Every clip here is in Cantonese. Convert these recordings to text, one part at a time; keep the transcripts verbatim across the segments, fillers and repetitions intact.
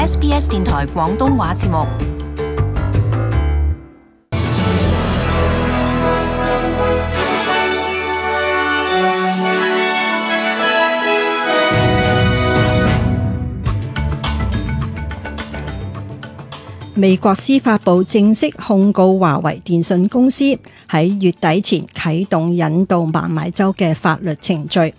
S B S 電台廣東話節目。美國司法部正式控告華為電訊公司喺月底前啟動引渡孟晚舟嘅法律程序。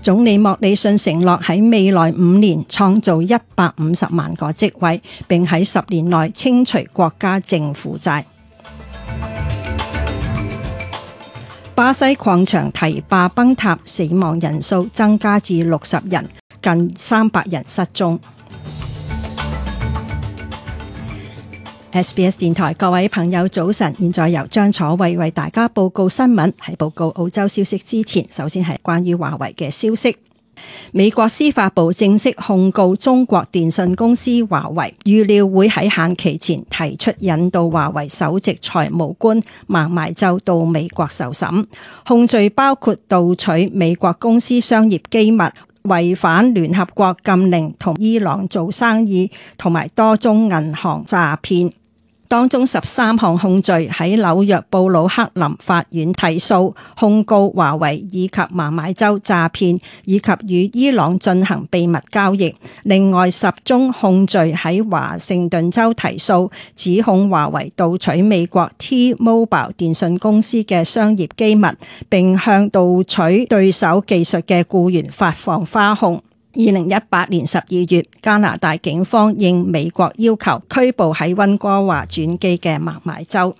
總理莫里遜承諾喺未來五年創造一百五十萬個職位，並喺十年內清除國家政府債。巴西礦場堤壩崩塌，死亡人數增加至六十人，近三百人失蹤。S B S 電台各位朋友早晨，現在由張楚慧為大家報告新聞。喺報告澳洲消息之前，首先係關於華為嘅消息。美國司法部正式控告中國電信公司華為，預料會喺限期前提出引渡華為首席財務官孟晚舟到美國受審。控罪包括盜取美國公司商業機密、違反聯合國禁令、同伊朗做生意，同埋多宗銀行詐騙。當中十三項控罪喺紐約布魯克林法院提訴，控告華為以及孟晚舟詐騙以及與伊朗進行秘密交易。另外十宗控罪喺華盛頓州提訴，指控華為盜取美國 T-Mobile 電信公司嘅商業機密，並向盜取對手技術嘅僱員發放花紅。二零一八年十二月，加拿大警方應美國要求拘捕喺溫哥華轉機嘅孟晚舟。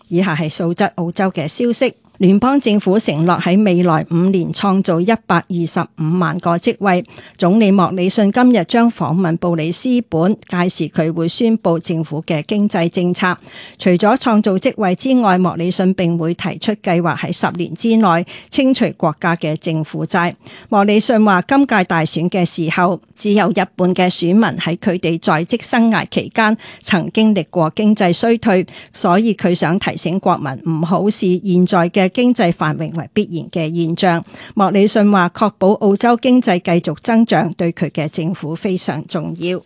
以下係素質澳洲嘅消息。聯邦政府承諾喺未來五年創造一百二十五萬個職位。總理莫里遜今日將訪問布里斯本，屆時佢會宣布政府嘅經濟政策。除咗創造職位之外，莫里遜並會提出計劃喺十年之內清除國家嘅政府債。莫里遜話，今屆大選嘅時候，只有一半嘅選民喺佢哋在職生涯期間曾經歷過經濟衰退，所以佢想提醒國民唔好視現在嘅經濟繁榮為必然嘅現象。莫里遜話，確保澳洲經濟繼續增長對佢嘅政府非常重要。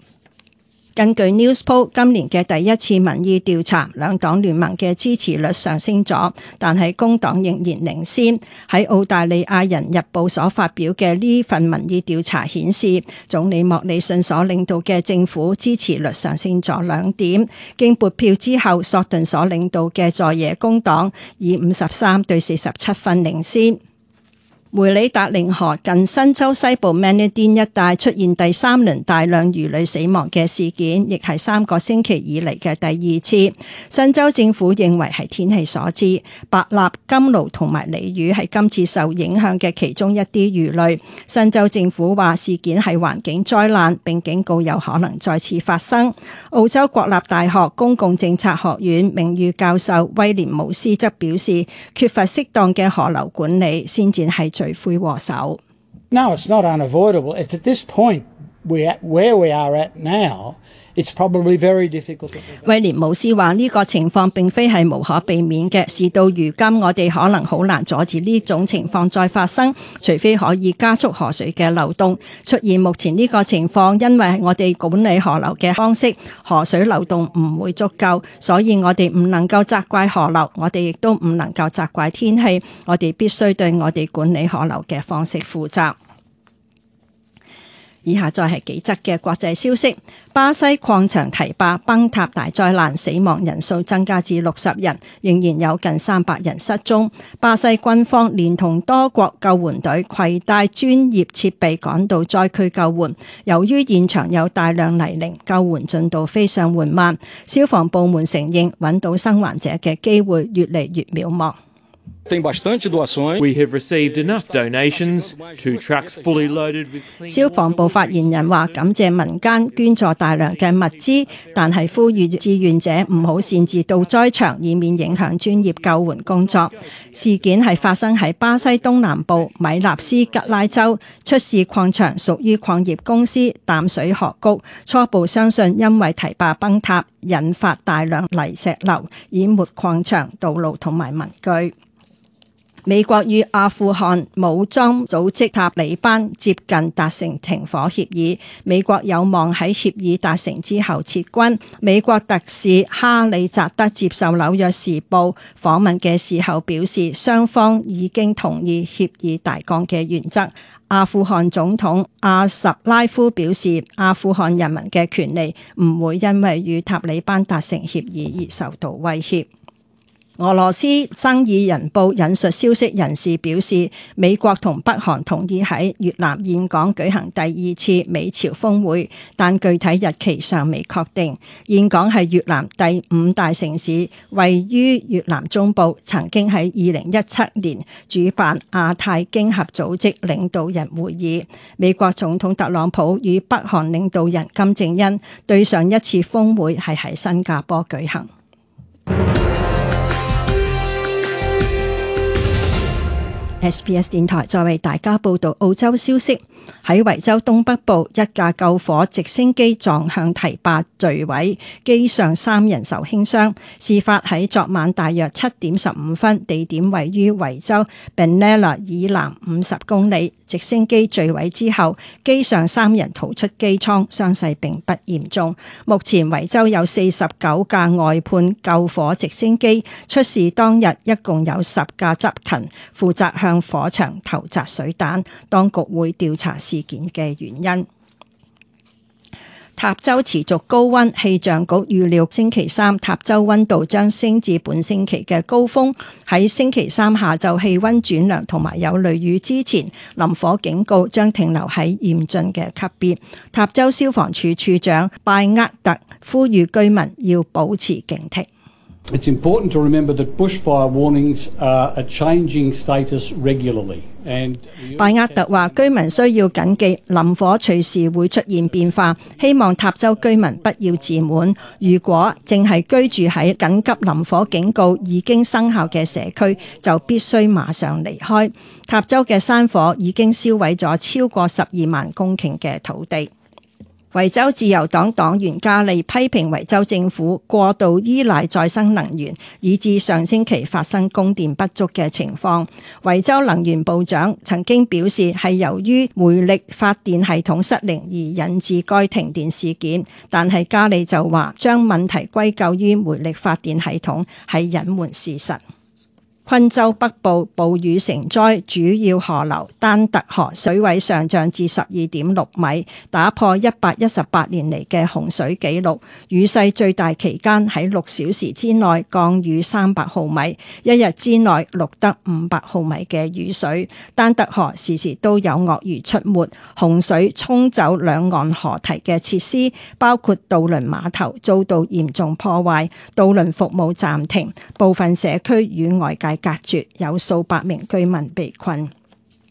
根據 Newspoll 今年嘅第一次民意調查，兩黨聯盟嘅支持率上升咗，但係工黨仍然領先。喺澳大利亞人日報所發表嘅呢份民意調查顯示，總理莫里遜所領導嘅政府支持率上升咗兩點。經撥票之後，索頓所領導嘅在野工黨以五十三對四十七分領先。梅里達寧河近新州西部 Manadine 一帶出現第三輪大量魚類死亡嘅事件，亦係三個星期以嚟嘅第二次。新州政府認為係天氣所致，白鱲、金鱸同埋鯉魚係今次受影響嘅其中一啲魚類。新州政府話事件係環境災難，並警告有可能再次發生。澳洲國立大學公共政策學院名譽教授威廉姆斯則表示，缺乏適當嘅河流管理先至係罪魁禍首。 No, it's not unavoidable. It's at this point we where we are at now, it's probably very difficult. 威廉姆斯話呢個情況並非係無可避免嘅，事到如今我哋可能好難阻止呢種情況再發生，除非可以加速河水嘅流動。出現目前呢個情況，因為我哋管理河流嘅方式，河水流動唔會足夠，所以我哋唔能夠責怪河流，我哋亦都唔能夠責怪天氣，我哋必須對我哋管理河流嘅方式負責。以下再係幾則嘅國際消息。巴西礦場堤壩崩塌大災難，死亡人數增加至六十人，仍然有近三百人失蹤。巴西軍方連同多國救援隊攜帶專業設備趕到災區救援。由於現場有大量泥濘，救援進度非常緩慢。消防部門承認揾到生還者嘅機會越嚟越渺茫。Tem bastante doações. We have received enough donations, two trucks fully loaded with clean water. 消防部發言人話感謝民間捐助大量嘅物資，但係呼籲志願者唔好擅自到災場，以免影響專業救援工作。事件係發生喺巴西東南部米納斯吉拉州，出事礦場屬於礦業公司淡水河谷，初步相信因為堤壩崩塌引發大量泥石流，淹沒礦場、道路同埋民居。美國與阿富汗武裝組織塔利班接近達成停火協議，美國有望喺協議達成之後撤軍。美國特使哈里扎德接受紐約時報訪問嘅時候表示，雙方已經同意協議大綱嘅原則。阿富汗總統阿什拉夫表示，阿富汗人民嘅權利唔會因為與塔利班達成協議而受到威脅。俄羅斯《生意人報》引述消息人士表示，美國同北韓同意喺越南峴港舉行第二次美朝峰會，但具體日期尚未確定。峴港係越南第五大城市，位於越南中部，曾經喺二零一七年主辦亞太經合組織領導人會議。美國總統特朗普與北韓領導人金正恩對上一次峰會係喺新加坡舉行。S B S 電台再為大家報道澳洲消息。喺維州東北部，一架救火直升機撞向堤壩墜毀，機上三人受輕傷。事發喺昨晚大約七點十五分，地點位於維州 Benalla 以南五十公里。直升機墜毀之後，機上三人逃出機艙，傷勢並不嚴重。目前維州有四十九架外判救火直升機，出事當日一共有十架執勤，負責向火場投擲水彈。當局會調查事件嘅原因。塔州持續高溫，氣象局預料星期三塔州溫度將升至本星期嘅高峰。喺星期三下晝氣溫轉涼同埋有雷雨之前，林火警告將停留喺嚴峻嘅級別。塔州消防處處長拜厄特呼籲居民要保持警惕。It's important to remember that bushfire warnings are a changing status regularly. 拜厄特話：居民需要謹記林火隨時會出現變化，希望塔州居民不要自滿。如果正係居住喺緊急林火警告已經生效嘅社區，就必須馬上離開。塔州嘅山火已經燒毀咗超過十二萬公頃嘅土地。維州自由黨黨員加利批評維州政府過度依賴再生能源，以致上星期發生供電不足嘅情況。維州能源部長曾經表示係由於煤力發電系統失靈而引致該停電事件，但係加利就話將問題歸咎於煤力發電系統係隱瞞事實。昆州北部暴雨成災，主要河流丹特河水位上漲至十二點六米，打破一百一十八年嚟嘅洪水紀錄。雨勢最大期間喺六小時之內降雨三百毫米，一日之內錄得五百毫米嘅雨水。丹特河時時都有鱷魚出沒，洪水沖走兩岸河堤嘅設施，包括渡輪碼頭遭到嚴重破壞，渡輪服務暫停，部分社區與外界隔絕，有數百名居民被困。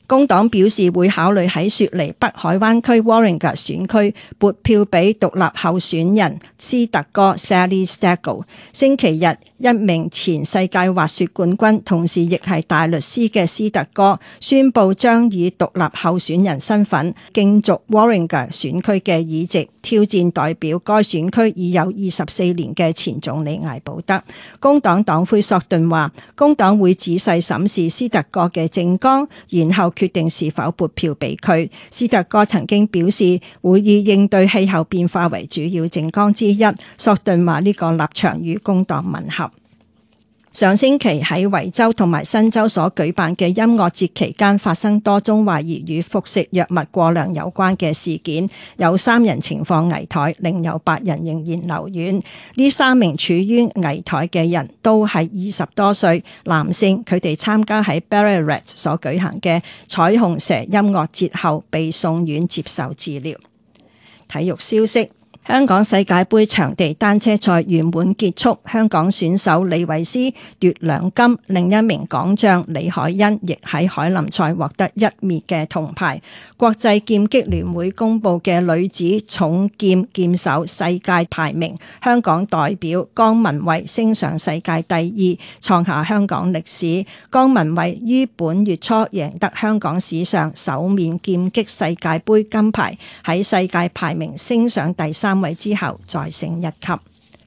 工黨表示會考慮喺雪梨北海灣區 Warringah 選區撥票俾獨立候選人斯特哥 Sally Stagel。星期日，一名前世界滑雪冠軍，同時亦係大律師嘅斯特哥宣布將以獨立候選人身份競逐 Warringah 選區嘅議席，挑戰代表該選區已有二十四年嘅前總理艾保德。工黨黨魁索頓話，工黨會仔細審視斯特哥嘅政綱，然後決定是否撥票俾佢。斯特哥曾經表示會以應對氣候變化為主要政綱之一。索頓話呢個立場與工黨吻合。上星期喺維州同埋新州所舉辦嘅音樂節期間，發生多宗懷疑與服食藥物過量有關嘅事件，有三人情況危殆，另有八人仍然留院。呢三名處於危殆嘅人都係二十多歲男性，佢哋參加喺 Ballarat 所舉行嘅彩虹蛇音樂節後被送院接受治療。體育消息。香港世界盃場地單車賽圓滿結束，香港選手李慧詩奪兩金，另一名港將李海恩亦喺凱林賽獲得一面嘅銅牌。國際劍擊聯會公布嘅女子重劍劍手世界排名，香港代表江文蔚升上世界第二，創下香港歷史。江文蔚於本月初贏得香港史上首面劍擊世界盃金牌，喺世界排名升上第三位之後再升一級。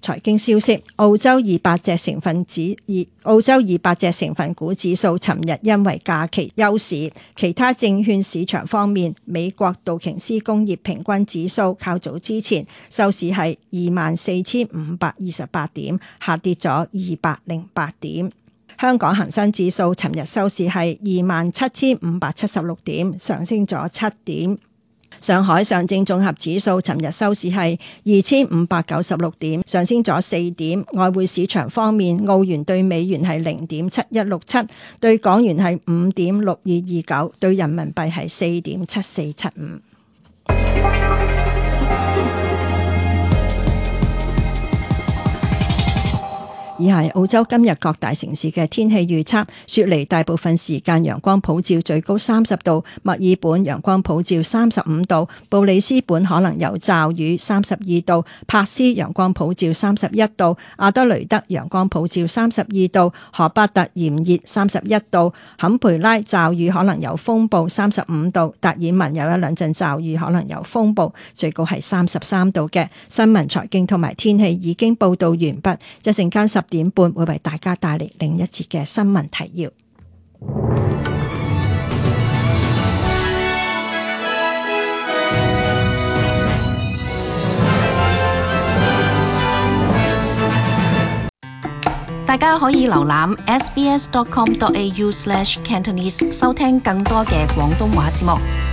財經消息，澳洲二百隻成分指澳洲二百隻成分股指數尋日因為假期休市。其他證券市場方面，美國道瓊斯工業平均指數較早之前收市係二萬四千五百二十八點，下跌咗二百零八點。香港恒生指數尋日收市係二萬七千五百七十六點，上升咗七點。上海上證綜合指數尋日收市係二千五百九十六點，上升咗四點。外匯市場方面，澳元對美元係零點七一六七，對港元係五點六二二九，對人民幣係四點七四七五。以下係澳洲今日各大城市嘅天氣預測：雪梨大部分時間陽光普照，最高三十度；墨爾本陽光普照，三十五度；布里斯本可能有驟雨，三十二度；珀斯陽光普照，三十一度；阿德雷德陽光普照，三十二度；荷巴特炎熱，三十一度；坎培拉驟雨可能有風暴，三十五度；達爾文有一兩陣驟雨可能有風暴，最高係三十三度嘅。新聞、財經同埋天氣已經報道完畢，一陣間十點半會為大家帶嚟另一節嘅新聞提要。大家可以瀏覽 s b s dot com dot a u slash cantonese 收聽更多嘅廣東話節目。